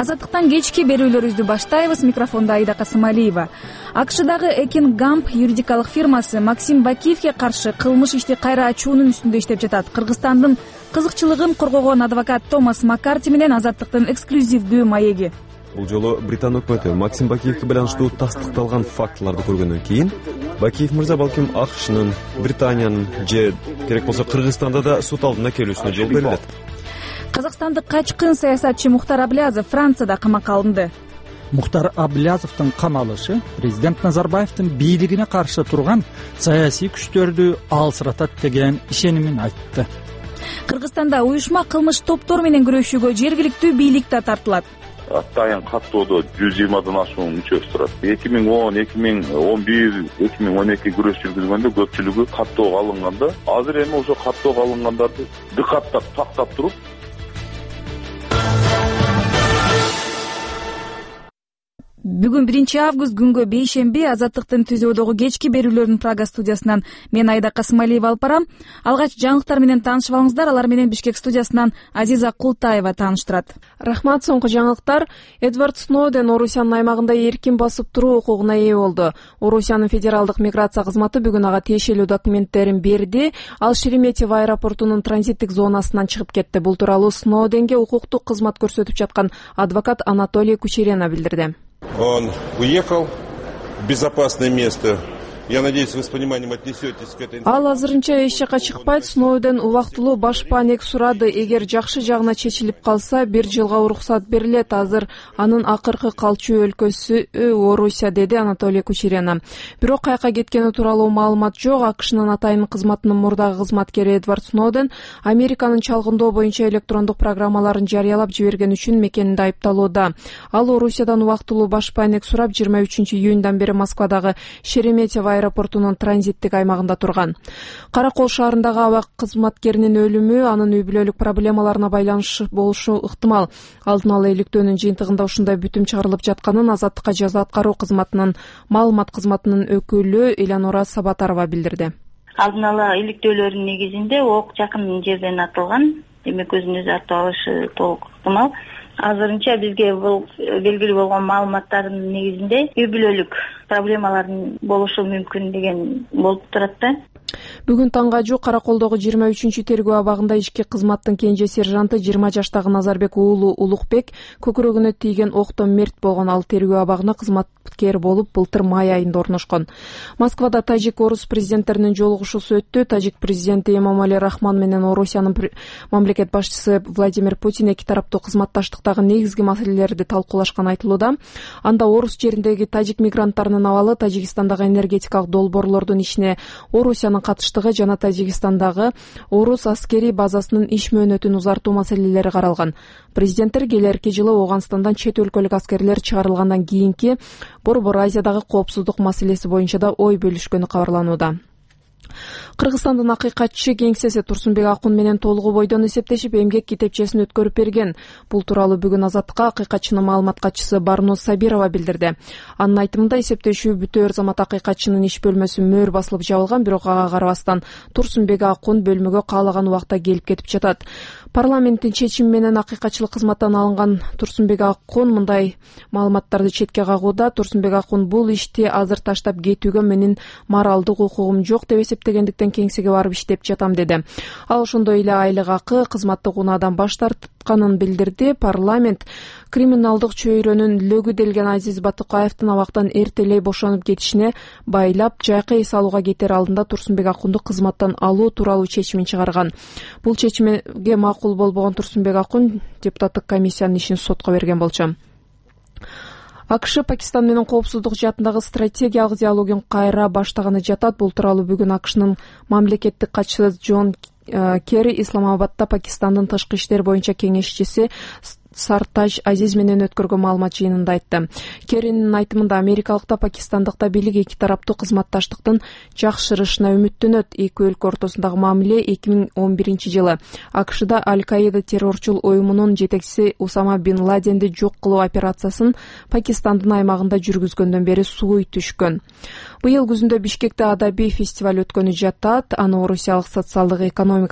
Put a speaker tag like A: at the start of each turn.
A: Азаттыктан кечки берүүлөрүбүздү баштайбыз. Микрофондо Аида Касымалиева. AQShdагы Ekin Gump юридикалык фирмасы Максим Бакиевге каршы кылмыш ишти кайра ачуунун үстүндө иштеп жатат. Кыргызстандын кызыкчылыгын коргогон адвокат Томас Маккарти менен Азаттыктын эксклюзивдүү маеги.
B: Бул жолу Британ өкмөтү Максим Бакиевге байланыштуу тастыкталган фактыларды көргөндөн кийин Бакиев мырза балким AQShnын, Британиянын же керек болсо Кыргызстанда да сот алдына келүүсүнө жол берилет.
A: Казакстандык качкын саясатчы Мухтар Аблязов Францияда камакка алынды.
C: Мухтар Аблязовдун камалышы президент Назарбаевдин бийлигине каршы турган саясий күчтөрдү алсыратат деген ишенимин айтты.
A: Кыргызстанда уюшма кылмыш топтору менен күрөшүүгө жергиликтүү бийлик да тартылат.
D: Атайын каттоодо 120 ашуун мүчөсү турат. 2010, 2011, 2012 күрөш жүргүзгөндө көпчүлүгү каттоого алынганда, азыр эми ошо каттоого алынгандарды дыкаттап тактап туруп
A: Бүгүн 1-август күнгө бейшемби. Азаттыктын түзөөдөгү кечки берүүлөрүнүн Прага студиясынан мен Аида Касымалиева алып барам. Алгач жаңылыктар менен таанышып алыңыздар. Алар менен Бишкек студиясынан Азиза Култаева тааныштырат.
E: Рахмат. Соңку жаңылыктар. Эдвард Сноуден Орусиянын аймагында эркин басып туруу укугуна ээ болду. Орусиянын федералдык миграция кызматы бүгүн ага тиешелүү документтерин берди. Ал Шереметьево аэропортунун транзиттик зонасынан чыгып кетти. Бул тууралуу Сноуденге укуктук кызмат көрсөтүп жаткан адвокат Анатолий Кучерена билдирди.
F: Он уехал в безопасное место. Я надеюсь, вы с пониманием отнесетесь к этой.
E: Ал азырынча эч жака чыкпайт. Сноуден убактылуу баш паанек сурады. Эгер жакшы жагына чечилип калса, 1 жылга уруксат берилет. Азыр анын акыркы калчу өлкөсү Орусия, деди Анатолий Кучерена. Бирок кайка кеткени тууралуу маалымат жок. AQShnын атайын кызматынын мурдагы кызматкери Эдвард Сноуден Американын чалгындоо боюнча электрондук программаларын жарыялап жиберген үчүн мекенинде айыпталууда. Ал Орусиядан убактылуу баш паанек сурап 23-июндан бери Москвадагы Шереметьево аэропортунун транзиттик аймагында турган. Каракол шаарындагы аба кызматкеринин өлүмү анын үй-бүлөлүк проблемаларына байланышлуу болушу ыктымал. Алдын ала иликтөөнүн жыйынтыгында ушундай бүтүм чыгарылып жатканын Азаттыкка жаза аткаруу кызматынын маалымат кызматынын өкүлү Элеонора Сабатарова билдирди.
G: Алдын ала иликтөөлөрдүн негизинде ок жакын жерден атылган, демек өзүн өзү атып алышы толук ыктымал. Азырынча бизге бул белгилүү болгон маалыматтардын негизинде үй-бүлөлүк проблемалардын болушу мүмкүн деген болуп турат да.
E: Бүгүн таңга жук Караколдогу 23-тергөө абагында ички кызматтын кенже сержанты 20 жаштагы Назарбек уулу Улукбек көкүрөгүнө тийген октон мерт болгон. Ал тергөө абагына кызматкер болуп былтыр май айында орношкон. Москвада тажик-орус президенттеринин жолугушуусу өттү. Тажик президенти Эмомали Рахмон менен Орусиянын мамлекет башчысы Владимир Путин эки тараптуу кызматташтыктагы негизги маселелерди талкуулашканы айтылууда. Анда орус жериндеги тажик мигранттарынын абалы, Тажикстандагы энергетикалык долбоорлордун ишине Орусиянын катыштыгы жана Тажикстандагы орус аскерий базасынын иш мөөнөтүн узартуу маселелери каралган. Президенттер келерки жылы Ооганстандан чет өлкөлүк аскерлер чыгарылгандан кийинки Борбор Азиядагы коопсуздук маселеси боюнча да ой бөлүшкөнү кабарланууда. Кыргызстандын акыйкатчы кеңсеси Турсунбек Акун менен толугу бойдон эсептешип эмгек китепчесин өткөрүп берген. Бул тууралуу бүгүн Азаттыкка акыйкатчынын маалымат катчысы Барнуз Сабирова билдирди. Анын айтымында эсептешүү бүтөөр замат акыйкатчынын иш бөлмөсү мөөр басылып жабылган, бирок ага карабастан Турсунбек Акун бөлмөгө каалаган убакта келип кетип жатат. Парламенттин чечими менен акыйкатчылык кызматтан алынган Турсунбек Акун мындай маалыматтарды четке кагууда. Турсунбек Акун бул ишти азыр таштап кетүүгө менин моралдык укугум жок деп эсептегендиктен кеңсеге барып иштеп жатам деди. Ал ошондой эле айлык акы, кызматтык унаадан баш тартканын билдирди. Парламент криминалдык чөйрөнүн лөгү делген Азиз Батыкаевдин абактан эртелей бошонуп кетишине байлап жайкы эс алууга кетер алдында Турсунбек Акунду кызматтан алуу тууралуу чечимин чыгарган. Бул чечимге макул болбогон Турсунбек Акун депутаттык комиссиянын ишин сотко берген болчу. AQSh Пакистан менен коопсуздук жаатындагы стратегиялык диалогун кайра баштаганы жатат. Бул тууралуу бүгүн AQShnын мамлекеттик катчысы Джон Керри Исламабадда Пакистандын тышкы иштер боюнча кеңешчиси Сартаж Азиз менен өткөргөн маалымат жыйынында айтты. Керринин айтымында америкалыкта Пакистандыкта бийлик эки тараптуу кызматташтыктын жакшырышына үмүттөнөт. Эки өлкө ортосундагы мамиле 2011 жылы AQShда Аль-Каида террорчул уюмунун жетекчиси Усама бин Ладенди жок кылуу операциясын Пакистандын аймагында жүргүзгөндөн бери сууй түшкөн. Быйыл күзүндө Бишкекте адабий фестиваль өткөнү жатат. Аны орусиялык социалдык экономика